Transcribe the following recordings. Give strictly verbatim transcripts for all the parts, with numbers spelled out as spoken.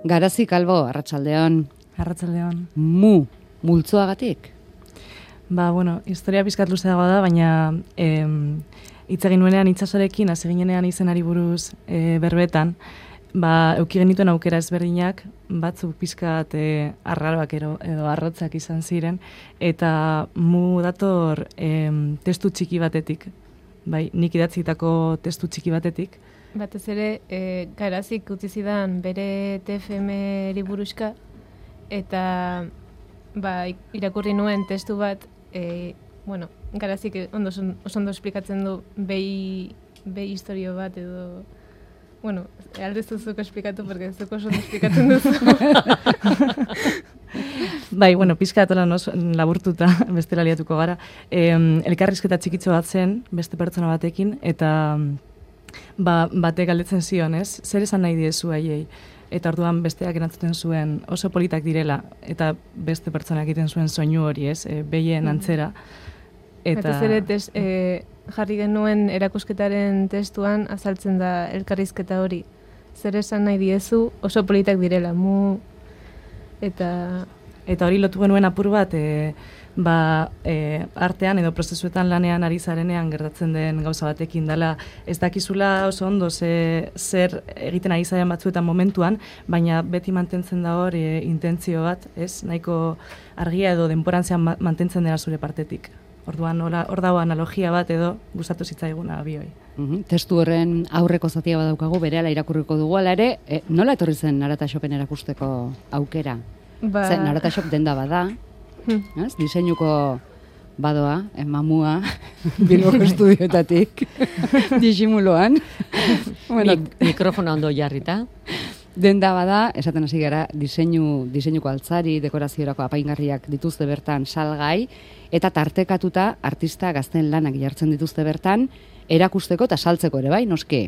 Garazi Kalbo, arratsaldeon. Arratsaldeon. Mu, multzoagatik? Ba, bueno, historia pizkat luze dago da, baina em, hitz egin nuenean itsasorekin, hasi ginenean izenari buruz e, berbetan, ba, euki genituen aukera ezberdinak, batzuk pizkat e, arraroak ero, edo arrotzak izan ziren, eta mu dator em, testu txiki batetik, bai, nik idatzitako testu txiki batetik. Batez ere, e, Garazik utzi zidan bere T F M-ri buruzka, eta ba, irakurri nuen testu bat, e, bueno, Garazik ondo, oso ondo esplikatzen du behi, behi historio bat edo, bueno, aldez duzuko esplikatu, porque zuko oso ondo esplikatzen duzu. Bai, bueno, pizka atolan oso laburtuta bestela liatuko gara. E, elkarrizketa txikitxo bat zen, beste pertsona batekin, eta ba, batek galdetzen zion, ez? Zer esan nahi diezu haiei? Eta orduan besteak erantzuten zuen oso politak direla, eta beste pertsonak egiten zuen soinu hori, ez? E, behien antzera. Eta Batez ere, tes, e, jarri genuen erakusketaren testuan azaltzen da elkarrizketa hori. Zer esan nahi diezu oso politak direla, mu... Eta... Eta hori lotu genuen apur bat, e, ba, e, artean edo prozesuetan lanean ari zarenean gertatzen den gauza batekin dela, ez dakizula oso ondo ze, zer egiten ari zaren batzuetan momentuan, baina beti mantentzen da hor e, intentzio bat, ez? Nahiko argia edo denporantzean ma mantentzen dela zure partetik. Orduan hor dago analogia bat edo gustatu zitzaiguna bioi. Uhum. Testu horren aurreko zatia badaukagu, berehala irakurriko dugu, ala ere, e, nola etorri zen Narata Shopen erakusteko aukera? Ba... Zer, Narata Shop denda bada, ez? Diseinuko badoa, eh, mamua, Bilboko estudioetatik, disimuloan. Bueno, Mik mikrofona ondo jarrita. Denda bada, esaten hasi gara, diseinu, diseinuko altzari, dekoraziorako apaingarriak dituzte bertan salgai, eta tartekatuta artista gazten lanak jartzen dituzte bertan, erakusteko eta saltzeko ere, bai, noski?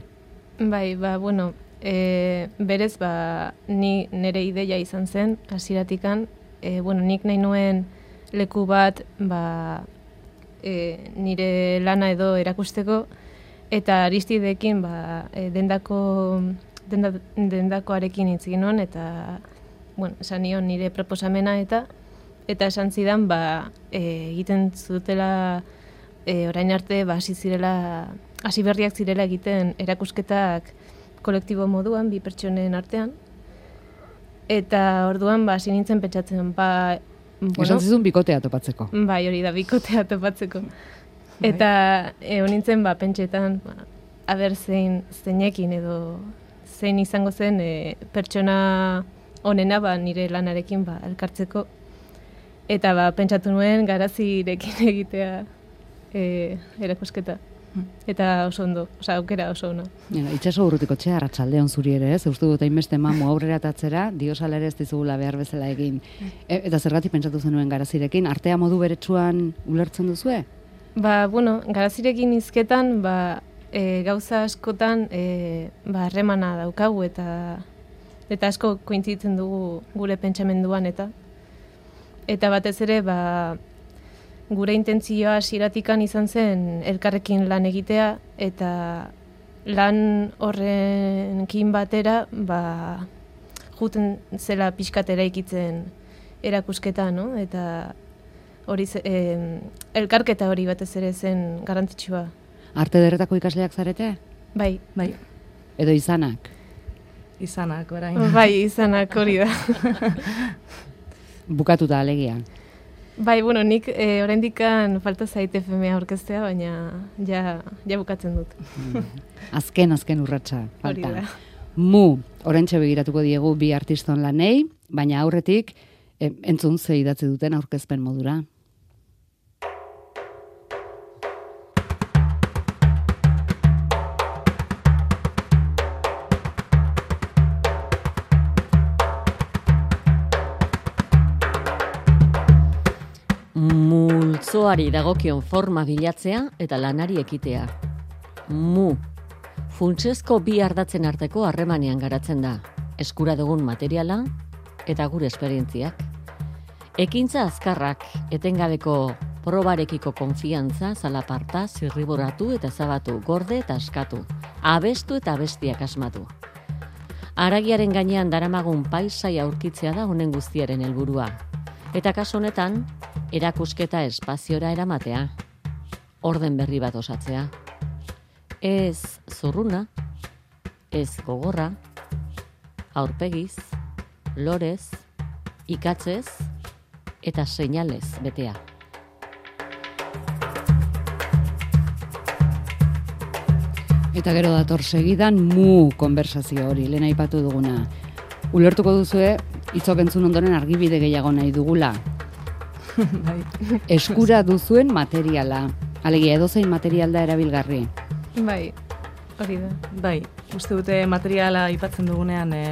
Bai, ba, bueno, e, berez, ba, ni nire ideia izan zen, hasieratikan, e, bueno, nik nahi nuen leku bat, ba, e, nire lana edo erakusteko, eta Aristidekin, ba, e, dendako, denda, dendakoarekin hitz egin nuen, eta, bueno, esan nion nire proposamena, eta, eta esan zidan, ba, e, egiten zutela, e, orain arte, ba, hasi zirela, hasi berriak zirela egiten erakusketak kolektibo moduan, bi pertsonen artean. Eta orduan, ba, hasi nintzen pentsatzen, ba... Bueno, esan zizun bikotea topatzeko. Bai, hori da, bikotea topatzeko. Eta e, nintzen, ba, pentsetan, ba, aber zein, zeinekin edo zein izango zen e, pertsona honena, ba, nire lanarekin, ba, elkartzeko. Eta, ba, pentsatu nuen Garazirekin egitea e, erakusketa. Eta oso ondo, oza, aukera oso ona. Ja, itxaso urrutiko txea, arratsaldeon zuri ere, ez? Uste dut hainbeste mamu aurrera atatzera, diosala ere ez dizugula behar bezala egin. E, eta zergatik pentsatu zenuen Garazirekin, artea modu beretsuan ulertzen duzue? Ba, bueno, Garazirekin hizketan, ba, e, gauza askotan, e, ba, harremana daukagu, eta eta asko kointzitzen dugu gure pentsamenduan, eta eta batez ere, ba, gure intentzioa hasieratikan izan zen elkarrekin lan egitea, eta lan horrenkin batera, ba, juten zela pixkatera ikitzen erakusketa, no? Eta hori eh, elkarketa hori batez ere zen garrantzitsua. Arte ederretako ikasleak zarete? Bai. Bai. Edo izanak? Izanak, orain. Bai, izanak hori da. Bukatuta alegia. Bai, bueno, nik e, oraindikan falta zait F M aurkeztea, baina ja, ja bukatzen dut. Azken, azken urratsa falta. Hori da. Mu, oraintxe begiratuko diegu bi artiston lanei, baina aurretik e, entzun ze idatzi duten aurkezpen modura. Multzoari dagokion forma bilatzea eta lanari ekitea. Mu. Funtsezko bi ardatzen arteko harremanean garatzen da. Eskura dugun materiala eta gure esperientziak. Ekintza azkarrak, etengabeko probarekiko konfiantza, zalaparta, zirriboratu eta zabatu, gorde eta askatu. Abestu eta abestiak asmatu. Haragiaren gainean daramagun paisai aurkitzea da honen guztiaren helburua. Eta kasu honetan, erakusketa espaziora eramatea. Orden berri bat osatzea. Ez zurruna, ez gogorra, aurpegiz, lorez, ikatzez eta seinalez betea. Eta gero dator segidan mu konversazio hori, lehen aipatu duguna. Ulertuko duzue, hitzok entzun ondoren argibide gehiago nahi dugula. Eskura duzuen materiala. Alegia, edozein material da erabilgarri. Bai, hori da. Bai, uste dute materiala aipatzen dugunean e,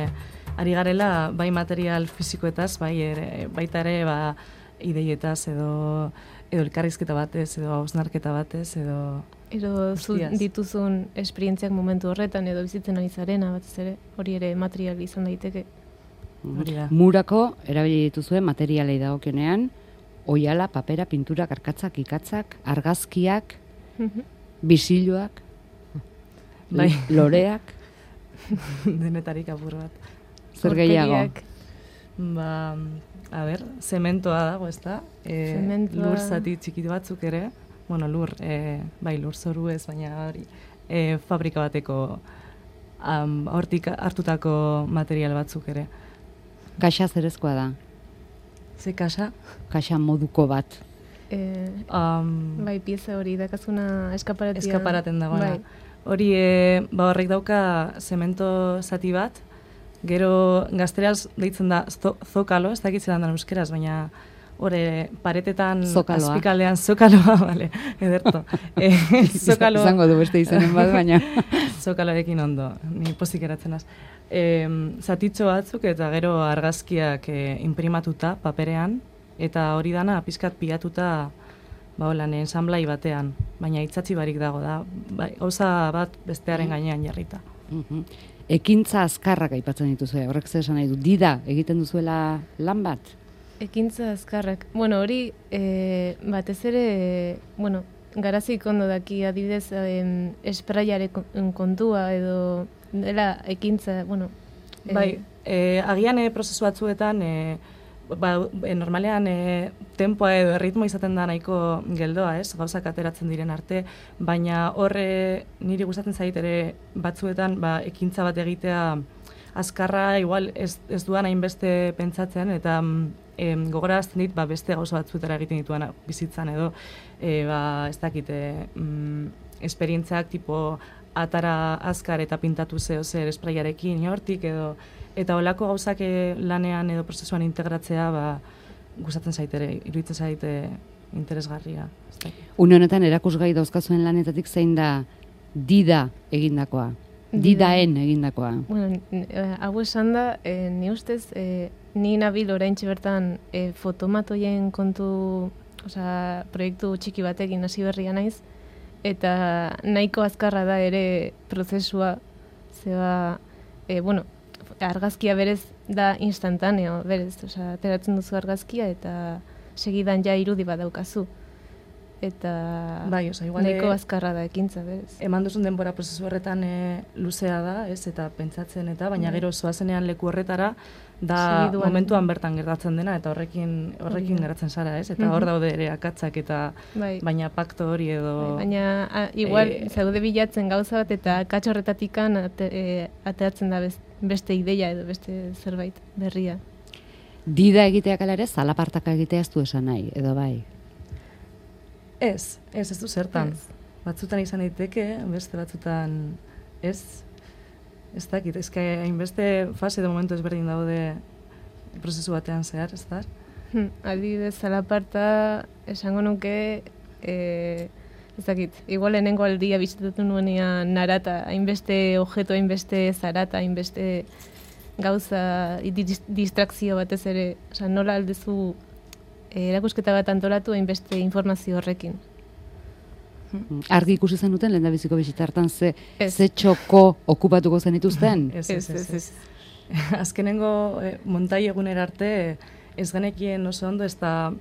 ari garela, bai material fizikoetaz, bai ere, baita ere ba, ideietaz edo, edo elkarrizketa batez, edo hausnarketa batez, edo... Edo zu dituzun esperientziak momentu horretan edo bizitzen ari zarena batez ere, hori ere material izan daiteke. Hori da. Murako erabili dituzuen materialei dagokionean, oihala, papera, pintura, karkatzak, ikatzak, argazkiak, bisiloak, bai. loreak. Denetarik apur bat. Zer gehiago? Ba, a ber, zementoa dago, ezta? E, lur zati txikitu batzuk ere, bueno, lur, e, bai, lur zoru ez, baina hori, e, fabrika bateko um, hortik hartutako material batzuk ere. Kaxa zerezkoa da? Ze kaxa? Kaxa moduko bat. E, um, bai, pieza hori dakazuna eskaparatia. Eskaparaten dagoena. Bai. Hori, e, ba, horrek dauka zemento zati bat, gero gazteraz deitzen da zokalo, ez dakit zelan da euskeraz, baina hore paretetan Zokaloa. Azpikaldean zokaloa, vale, ederto. E, zokaloa. Zango du beste izenen bat, baina. Zokaloekin ondo, ni pozik eratzen az. E, zatitxo batzuk eta gero argazkiak e, imprimatuta paperean, eta hori dana pizkat pilatuta ba holan ensamblai batean, baina itzatzi barik dago da, bai, gauza bat bestearen gainean jarrita. Uh-huh. Ekintza azkarrak aipatzen dituzue, horrek zer esan nahi du, dida egiten duzuela lan bat? Ekintza azkarrak. Bueno, hori e, batez ere, e, bueno, garazik ondo daki adibidez em, espraiare kontua edo dela ekintza, bueno. E, bai, e, agian e, prozesu batzuetan, e, ba, e, normalean e, tempoa edo erritmo izaten da nahiko geldoa, ez? Gauzak ateratzen diren arte, baina horre niri gustatzen zait ere batzuetan ba, ekintza bat egitea azkarra, igual ez, ez duan hainbeste pentsatzen, eta e, gogorazten dit ba, beste gauza batzuetara egiten dituan bizitzan edo, e, ba, ez dakite, mm, esperientziak tipo atara azkar eta pintatu zeo zer espraiarekin hortik edo, eta olako gauzak lanean edo prozesuan integratzea ba, gustatzen zaitere, iruditzen zaite interesgarria. Une honetan erakusgai dauzkazuen lanetatik zein da dida egindakoa? Didaen egindakoa. Bueno, hau esan da, e, ni ustez, e, ni nabil oraintxe bertan e, fotomatoien kontu, osea, proiektu txiki batekin hasi berria naiz, eta nahiko azkarra da ere prozesua, zeba, e, bueno, argazkia berez da instantaneo, berez, osea, ateratzen duzu argazkia eta segidan ja irudi bat daukazu. Eta bai, oza, igual nahiko azkarra da ekintza, berez. Eman duzun denbora prozesu horretan e, luzea da, ez, eta pentsatzen eta, baina gero zoazenean leku horretara, da Segiduan. Momentuan bertan gertatzen dena, eta horrekin horrekin yeah. geratzen zara, ez, eta hor daude ere akatzak, eta bai. Baina pakto hori edo... Bai, baina a, igual e, zaude bilatzen gauza bat, eta akats horretatikan ate, e, ateratzen da beste ideia edo beste zerbait berria. Dida egiteak ala ere, zalapartaka egitea ez du esan nahi, edo bai? Ez, ez, ez du zertan. Ez. Batzutan izan daiteke, beste batzutan ez. Ez dakit, ez que hainbeste fase de momento ezberdin daude prozesu batean zehar, ez da? Hmm, adibidez, zalaparta esango nuke, e, ez dakit, igual lehenengo aldia bizitatu nuenean narata, hainbeste objeto, hainbeste zarata, hainbeste gauza, distrakzio batez ere, oza, nola aldezu erakusketa bat antolatu hainbeste informazio horrekin. Argi ikusi zenuten lehen da biziko bizitartan ze, ze txoko okupatuko zenituzten? Ez, ez, ez. ez. Azkenengo eh, montai egunera arte ez genekien oso ondo ez da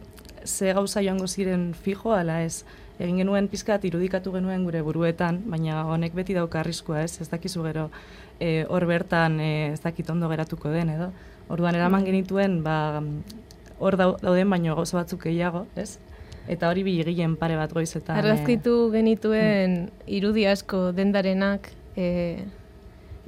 ze gauza joango ziren fijo, ala ez egin genuen pizkat irudikatu genuen gure buruetan, baina honek beti dauka arriskua, ez? Ez dakizu gero e, hor bertan e, ez dakit ondo geratuko den, edo? Orduan eraman genituen, ba, hor dauden baino gauza batzuk gehiago, ez? Eta hori bigilen pare bat goizetan. Argazkitu genituen irudi asko dendarenak, e,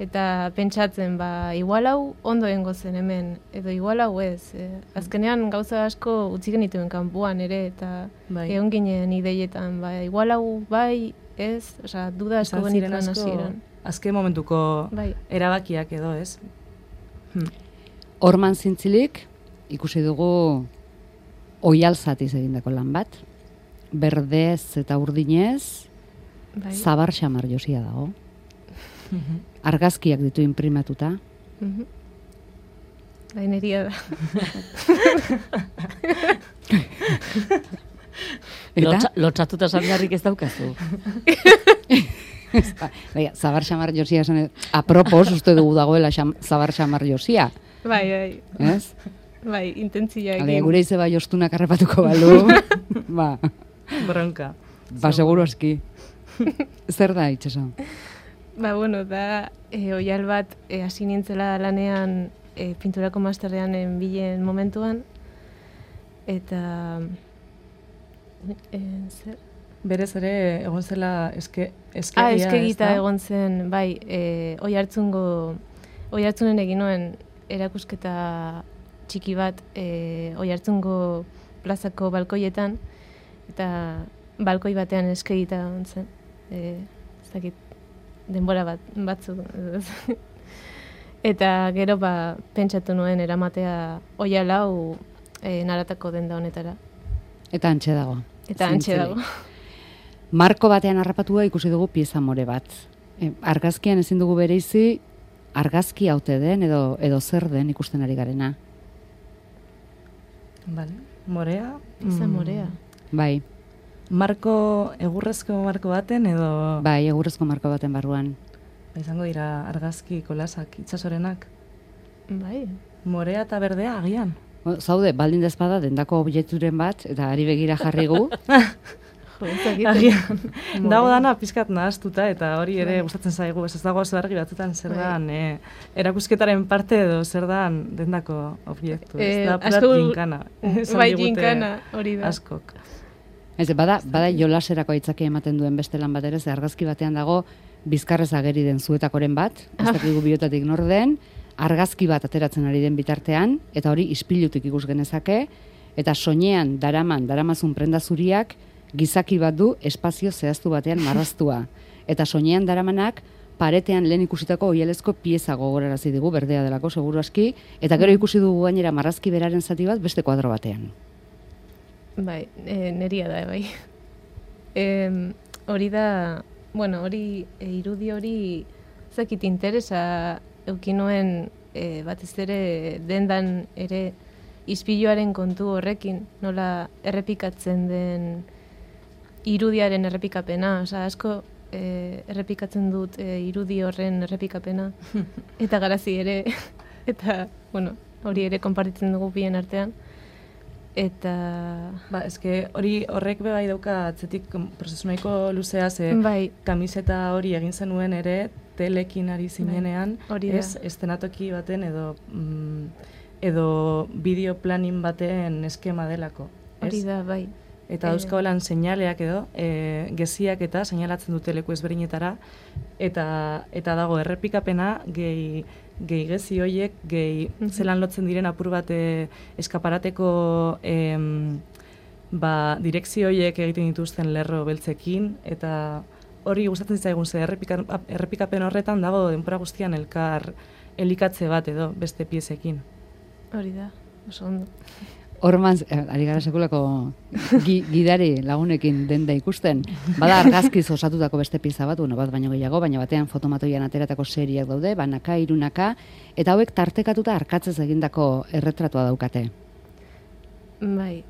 eta pentsatzen, ba, igual hau ondo egongo zen hemen, edo igual hau ez. E, azkenean gauza asko utzi genituen kanpoan ere, eta bai. Egon ginen ideietan, ba, igual hau bai, ez, osea, duda asko genituen hasieran. Azken momentuko bai. Erabakiak edo, ez? Hmm. Orman zintzilik, ikusi dugu oialzatiz egindako lan bat, berdez eta urdinez, bai. Zabar xamar josia dago. Argazkiak ditu imprimatuta. Mhm. Laineria da. Lotxa, lotxatuta sabiarrik ez daukazu. Baina, zabar xamar josia esan, apropos uste dugu dagoela xam, zabar xamar josia. Bai, bai. Ez? Bai, intentzia egin. Ale, gure izeba jostunak arrepatuko balu. Ba. Bronka. Ba, seguro aski. Zer da, itxaso? Ba, bueno, da, e, oial bat, e, hasi nintzela lanean e, pinturako masterrean bilen momentuan, eta... E, zer? Berez ere egon zela eske, eskegia, ah, eskegita egon zen, bai, e, oi hartzungo, oi hartzunen egin nuen erakusketa txiki bat e, oi hartzungo plazako balkoietan, eta balkoi batean eskegita egon zen. E, ez dakit, denbora bat, batzu. Eta gero ba, pentsatu nuen eramatea oia lau e, naratako denda honetara. Eta antxe dago. Eta antxe dago. Marko batean harrapatua ikusi dugu pieza more bat. E, argazkian ezin dugu bereizi, argazki haute den edo edo zer den ikusten ari garena. Vale. Morea? Pieza mm. morea. Bai. Marko, egurrezko marko baten edo... Bai, egurrezko marko baten barruan. Izango dira argazki kolasak itsasorenak. Bai. Morea eta berdea agian. Zaude, baldin dezpada dendako objekturen bat, eta ari begira jarri gu. Agian. Dago dana pizkat nahaztuta, eta hori ere gustatzen zaigu. Ez dago oso argi batzutan zer dan e, erakusketaren parte edo zer dan dendako objektu. Ez da purat jinkana. Bai, jinkana, hori da. Askok. Ez, bada, bada jolaserako aitzaki ematen duen beste lan bat ere, ze argazki batean dago bizkarrez ageri den zuetakoren bat, ez dakigu biotatik nor den, argazki bat ateratzen ari den bitartean, eta hori ispilutik ikus genezake, eta soinean daraman, daramazun prenda zuriak, gizaki bat du espazio zehaztu batean marraztua. Eta soinean daramanak, paretean lehen ikusitako oialezko pieza gogorarazi digu, berdea delako, seguru aski, eta gero ikusi dugu gainera marrazki beraren zati bat beste kuadro batean. Bai, e, neria da, bai. E, hori da, bueno, hori, e, irudi hori, zakit interesa eukinoen e, batez ere dendan ere ispiluaren kontu horrekin, nola errepikatzen den irudiaren errepikapena, oza, asko e, errepikatzen dut e, irudi horren errepikapena, eta garazi ere, eta, bueno, hori ere konpartitzen dugu bien artean. Eta... Ba, eske hori horrek bebai dauka atzetik prozesu nahiko luzea, ze bai. Kamiseta hori egin zenuen ere telekin ari zinenean, bai. ez, estenatoki baten edo mm, edo bideo planin baten eskema delako. Hori da, bai. Eta dauzkabelan e... seinaleak edo, e, geziak eta seinalatzen dute leku ezberdinetara, eta, eta dago errepikapena gehi gehi gezi horiek, gehi mm-hmm. zelan lotzen diren apur bat e, eskaparateko em, ba, direkzio horiek egiten dituzten lerro beltzekin, eta hori gustatzen zaigun ze errepika, errepikapen horretan dago denbora guztian elkar elikatze bat edo beste piezekin. Hori da, oso ondo. Orman, ari gara sekulako gi, gidari lagunekin denda ikusten, bada argazkiz osatutako beste pieza bat, bueno, bat baino gehiago, baina batean fotomatoian ateratako seriak daude, banaka, irunaka, eta hauek tartekatuta arkatzez egindako erretratua daukate. Bai,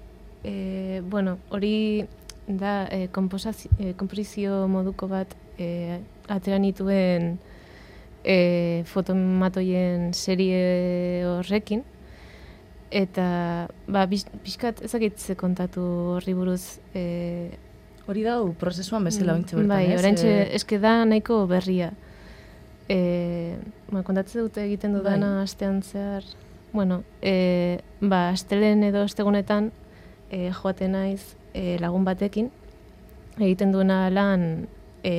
e, bueno, hori da e, e, komposizio moduko bat e, atera nituen e, fotomatoien serie horrekin, eta ba, pixkat ezakitze kontatu horri buruz, e, Hori da, prozesuan bezala ointxe bertan, bai, ez? oraintxe, E... eske da nahiko berria. E, ba, kontatzen dute egiten dudana bai. astean zehar. Bueno, e, ba, astelen edo astegunetan e, joaten naiz e, lagun batekin, egiten duena lan e,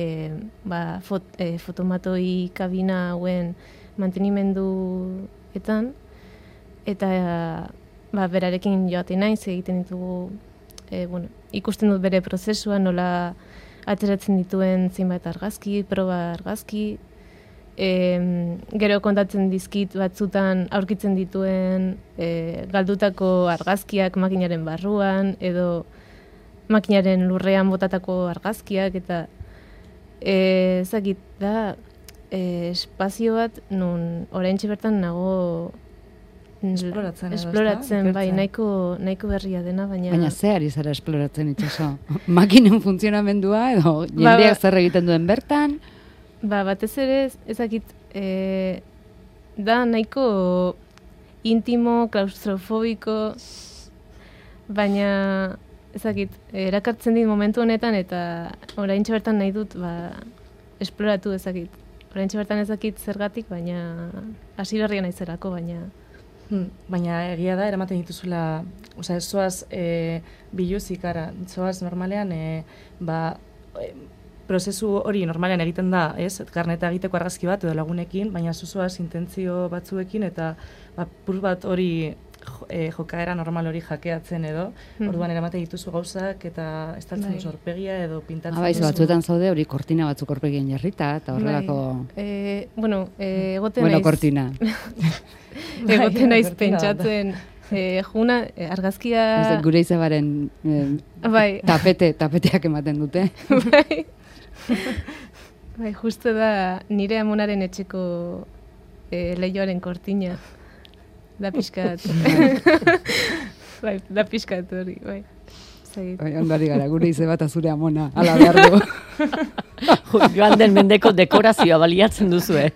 ba, fot, e, fotomatoi kabina hauen mantenimenduetan, eta ba, berarekin joaten naiz, egiten ditugu, e, bueno, ikusten dut bere prozesua, nola ateratzen dituen zenbait argazki, proba argazki, e, gero kontatzen dizkit batzutan aurkitzen dituen e, galdutako argazkiak makinaren barruan, edo makinaren lurrean botatako argazkiak, eta e, ezakit da e, espazio bat nun oraintxe bertan nago Esploratzen, esploratzen, bai, nahiko, nahiko berria dena, baina... Baina ze ari zara esploratzen itxaso? Makinen funtzionamendua edo jendeak zer egiten duen bertan? Ba, batez ere, ezakit, e, da nahiko intimo, klaustrofobiko, baina ezakit, erakartzen dit momentu honetan eta oraintxe bertan nahi dut, ba, esploratu ezakit. Oraintxe bertan ezakit zergatik, baina hasi berria naizerako, baina... Hmm, baina egia da, eramaten dituzula, osea, ez zoaz e, biluzik, ara, zoaz normalean, e, ba, e, prozesu hori normalean egiten da, ez, karneta egiteko argazki bat edo lagunekin, baina zuzoaz intentzio batzuekin, eta ba, pur bat hori e, jokaera normal hori jakeatzen edo, hmm. orduan eramaten dituzu gauzak, eta ez taltzen duzu aurpegia edo pintatzen ah, bai, duzu. Batzuetan zaude hori kortina batzuk aurpegien jarrita, eta horrelako... Bai. E, bueno, e, egoten bueno, naiz... kortina. Egoten naiz pentsatzen, e, juna, e, argazkia... Ez, gure izabaren eh, bai. tapete, tapeteak ematen dute. Bai. Bai, justu da nire amonaren etxeko e, lehioaren kortina. Da pixkat. Bai, da pixkat hori, bai. Bai, ondari gara, gure ize bat azure amona, ala behar du. Joan den mendeko dekorazioa baliatzen duzue.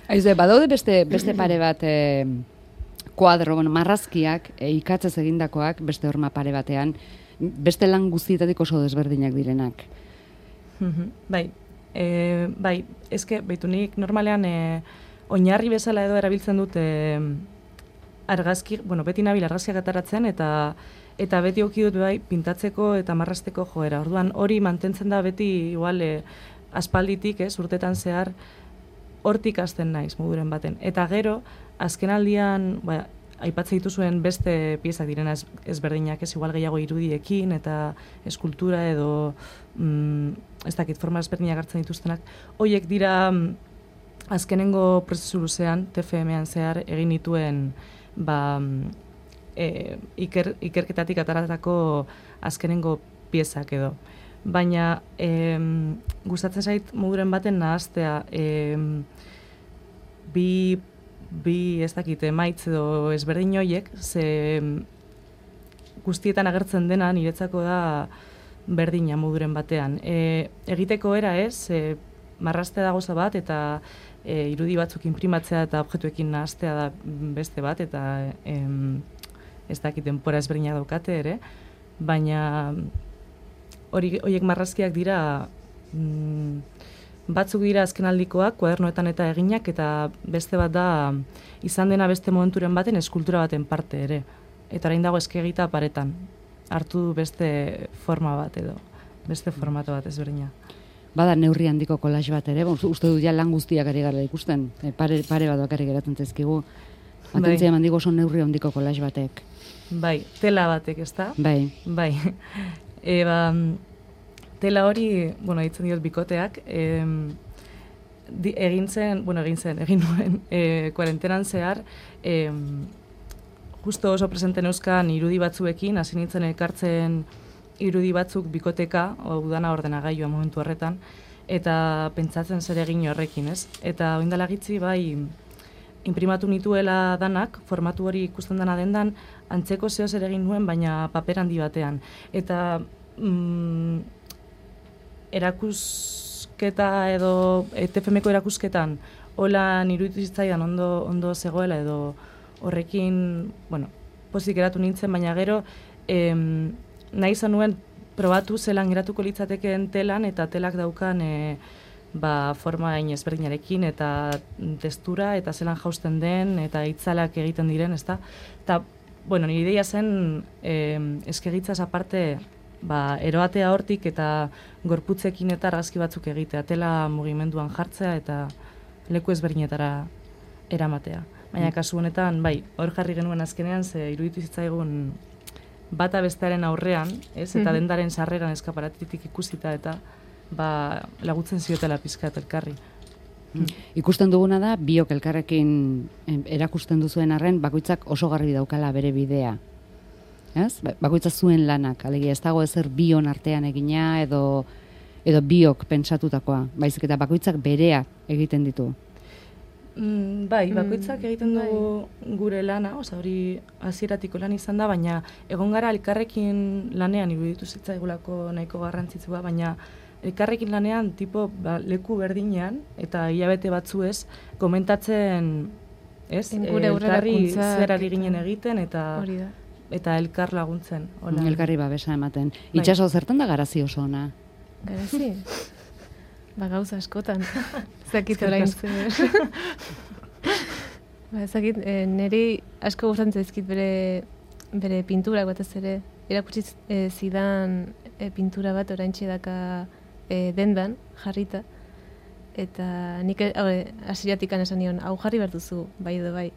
Aizu, badaude beste, beste pare bat e, kuadro, bueno, marrazkiak, e, ikatzez egindakoak, beste horma pare batean, beste lan guztietatik oso desberdinak direnak. Bai, e, bai, ezke, baitu nik normalean e, oinarri bezala edo erabiltzen dut e, argazki, bueno, beti nabil argazkiak ataratzen, eta eta beti oki dut bai pintatzeko eta marrasteko joera. Orduan hori mantentzen da beti igual e, aspalditik, ez, urtetan zehar, hortik hasten naiz moduren baten. Eta gero, azken aldian, ba, aipatzen dituzuen beste piezak direna ez, ezberdinak, ez igual gehiago irudiekin, eta eskultura edo, mm, ez dakit, forma ezberdinak hartzen dituztenak. Hoiek dira, mm, azkenengo prozesu luzean, T F M-an zehar, egin dituen, ba, e, iker, ikerketatik ataratako azkenengo piezak edo. Baina e, gustatzen zait moduren baten nahaztea, e, bi, bi ez dakit, emaitz edo ezberdin horiek, ze guztietan agertzen dena niretzako da berdina moduren batean. E, egiteko era ez, e, marraztea da goza bat, eta e, irudi batzuk inprimatzea eta objektuekin nahaztea da beste bat, eta e, ez dakit denpora ezberdinak daukate ere, baina hori horiek marrazkiak dira mm, batzuk dira azkenaldikoak, kuadernoetan eta eginak, eta beste bat da izan dena beste momenturen baten eskultura baten parte ere. Eta orain dago eskegita paretan. Hartu beste forma bat edo, beste formato bat ezberdina. Bada neurri handiko kolaj bat ere, bon, uste dut ja lan guztiak ari gara ikusten, e, pare, pare bat bakarrik geratzen zaizkigu. Atentzia eman digo oso neurri handiko kolaj batek. Bai, tela batek, ezta? Bai. Bai. E, ba, tela hori, bueno, ditzen diot bikoteak, e, di, egin zen, bueno, egin zen, egin nuen, e, kuarentenan zehar, e, justo oso presente neuzkan irudi batzuekin, hasi nintzen elkartzen irudi batzuk bikoteka, udana ordenagailua momentu horretan, eta pentsatzen zer egin horrekin, ez? Eta oindala gitzi, bai, inprimatu nituela danak, formatu hori ikusten dena dendan, antzeko zeo zer egin nuen, baina paper handi batean. Eta mm, erakusketa edo T F M-ko erakusketan, hola niruditu zitzaidan ondo, ondo zegoela edo horrekin, bueno, pozik geratu nintzen, baina gero em, nahi izan nuen probatu zelan geratuko litzatekeen telan, eta telak daukan e, ba, forma hain ezberdinarekin, eta testura, eta zelan jausten den, eta itzalak egiten diren, ezta? Eta, bueno, nire ideia zen, e, eskegitzaz aparte, ba, eroatea hortik, eta gorputzekin eta argazki batzuk egitea, tela mugimenduan jartzea, eta leku ezberdinetara eramatea. Baina kasu honetan, bai, hor jarri genuen azkenean, ze iruditu zitzaigun bata bestearen aurrean, ez, eta dendaren sarreran eskaparatitik ikusita, eta ba, lagutzen ziotela pizkat elkarri. Mm. Ikusten duguna da, biok elkarrekin erakusten duzuen arren, bakoitzak oso garbi daukala bere bidea. Ez? Bakoitza zuen lanak, alegia ez dago ezer bion artean egina, edo, edo biok pentsatutakoa, baizik eta bakoitzak berea egiten ditu. Mm, bai, bakoitzak egiten dugu gure lana, oza, hori hasieratiko lan izan da, baina egon gara elkarrekin lanean iruditu zitzaigulako nahiko garrantzitsua, baina elkarrekin lanean tipo ba, leku berdinean eta hilabete batzuez komentatzen, ez? Gure elkarri zer ari ginen egiten eta hori da. Eta elkar laguntzen. Hola. Elkarri babesa ematen. Bai. Itxaso zertan da garazi oso ona? Garazi? Ba, gauza askotan. Zakit orain zer. Ba, zakit, e, niri asko gustatzen zaizkit bere, bere pinturak batez ere. Erakutsi e, zidan e, pintura bat oraintxe daka e, dendan, jarrita. Eta nik hasieratikan esan nion, hau jarri behar duzu, bai edo bai.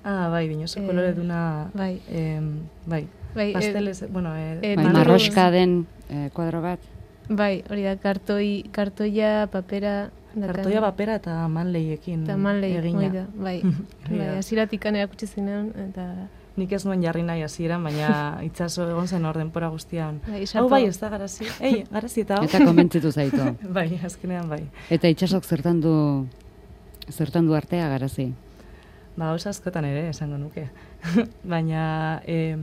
Ah, bai, binoso kolore duna... Bai. Eh, bai. Bai, pasteles, eh, bueno... Eh, bai, marroska den eh, kuadro bat. Bai, hori da, kartoi, kartoia, papera... Kartoia, papera eta manleiekin eta manlei, egina. Da, bai. Bai, hasieratikan erakutsi zinean, eta... Nik ez nuen jarri nahi hasieran, baina itxaso egon zen hor denpora guztian. Bai, hau bai, ez da garazi. Ei, garazi eta hau. Eta konbentzitu zaitu. Bai, azkenean bai. Eta itxasok zertan du, zertan du artea garazi? Ba, oso askotan ere, esango nuke. Baina, em,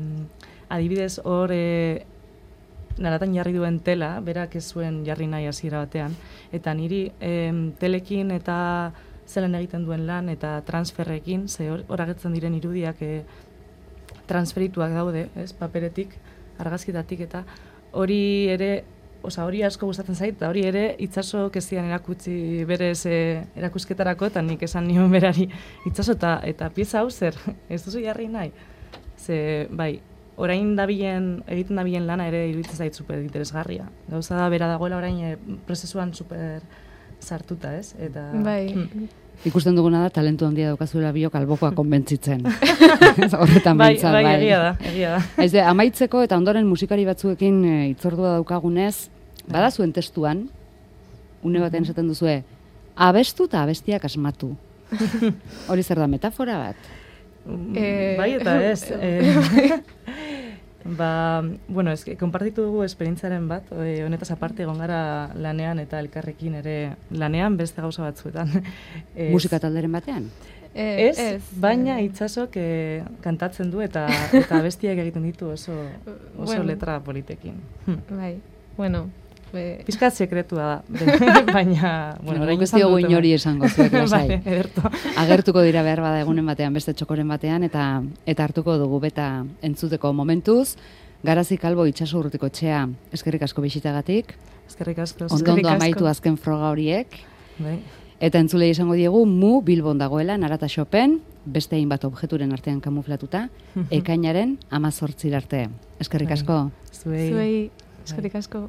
adibidez, hor e, naratan jarri duen tela, berak ez zuen jarri nahi hasiera batean, eta niri em, telekin eta zelan egiten duen lan, eta transferrekin, ze hor agertzen diren irudiak e, transferituak daude, ez, paperetik, argazkitatik, eta hori ere, oza, hori asko gustatzen zait, eta hori ere itxaso kezian erakutsi berez e, erakusketarako, eta nik esan nion berari, itxaso eta, eta pieza hau zer, ez duzu jarri nahi. Ze, bai, orain dabilen, egiten dabilen lana ere iruditzen zait super interesgarria. Gauza da bera dagoela orain e, prozesuan super sartuta, ez? Eta, bai. Hmm. Ikusten duguna da, talentu handia daukazuela biok albokoa konbentzitzen. Horretan bai, bintzat, bai. bai. Egia da, egia da. Ez de, amaitzeko eta ondoren musikari batzuekin e, itzordua daukagunez, bada zuen testuan, une baten esaten duzue, abestu eta abestiak asmatu. Hori zer da, metafora bat? Eh, bai eta ez. Eh, ba, bueno, ez, konpartitu dugu esperientzaren bat, e, honetaz aparte egon gara lanean eta elkarrekin ere lanean beste gauza batzuetan. Ez, musika talderen batean? Eh, ez, ez, baina itxasok e, kantatzen du eta eta abestiak egiten ditu oso, oso bueno. letra politekin. Bai, bueno... Be... Pizkat sekretua da, baina... Bueno, orain ez diogu inori esango zuek, lasai. Vale, ederto. Agertuko dira behar bada egunen batean, beste txokoren batean, eta eta hartuko dugu beta entzuteko momentuz. Garazi Kalbo Itxaso Urrutiko etxea, eskerrik asko bisitagatik. Eskerrik asko. Ondo amaitu azken froga horiek. Bai. Eta entzulei esango diegu, mu Bilbon dagoela, Narata Shopen, beste hainbat objekturen artean kamuflatuta, ekainaren amazortzir arte. Eskerrik asko. Zuei. Zuei, eskerrik asko.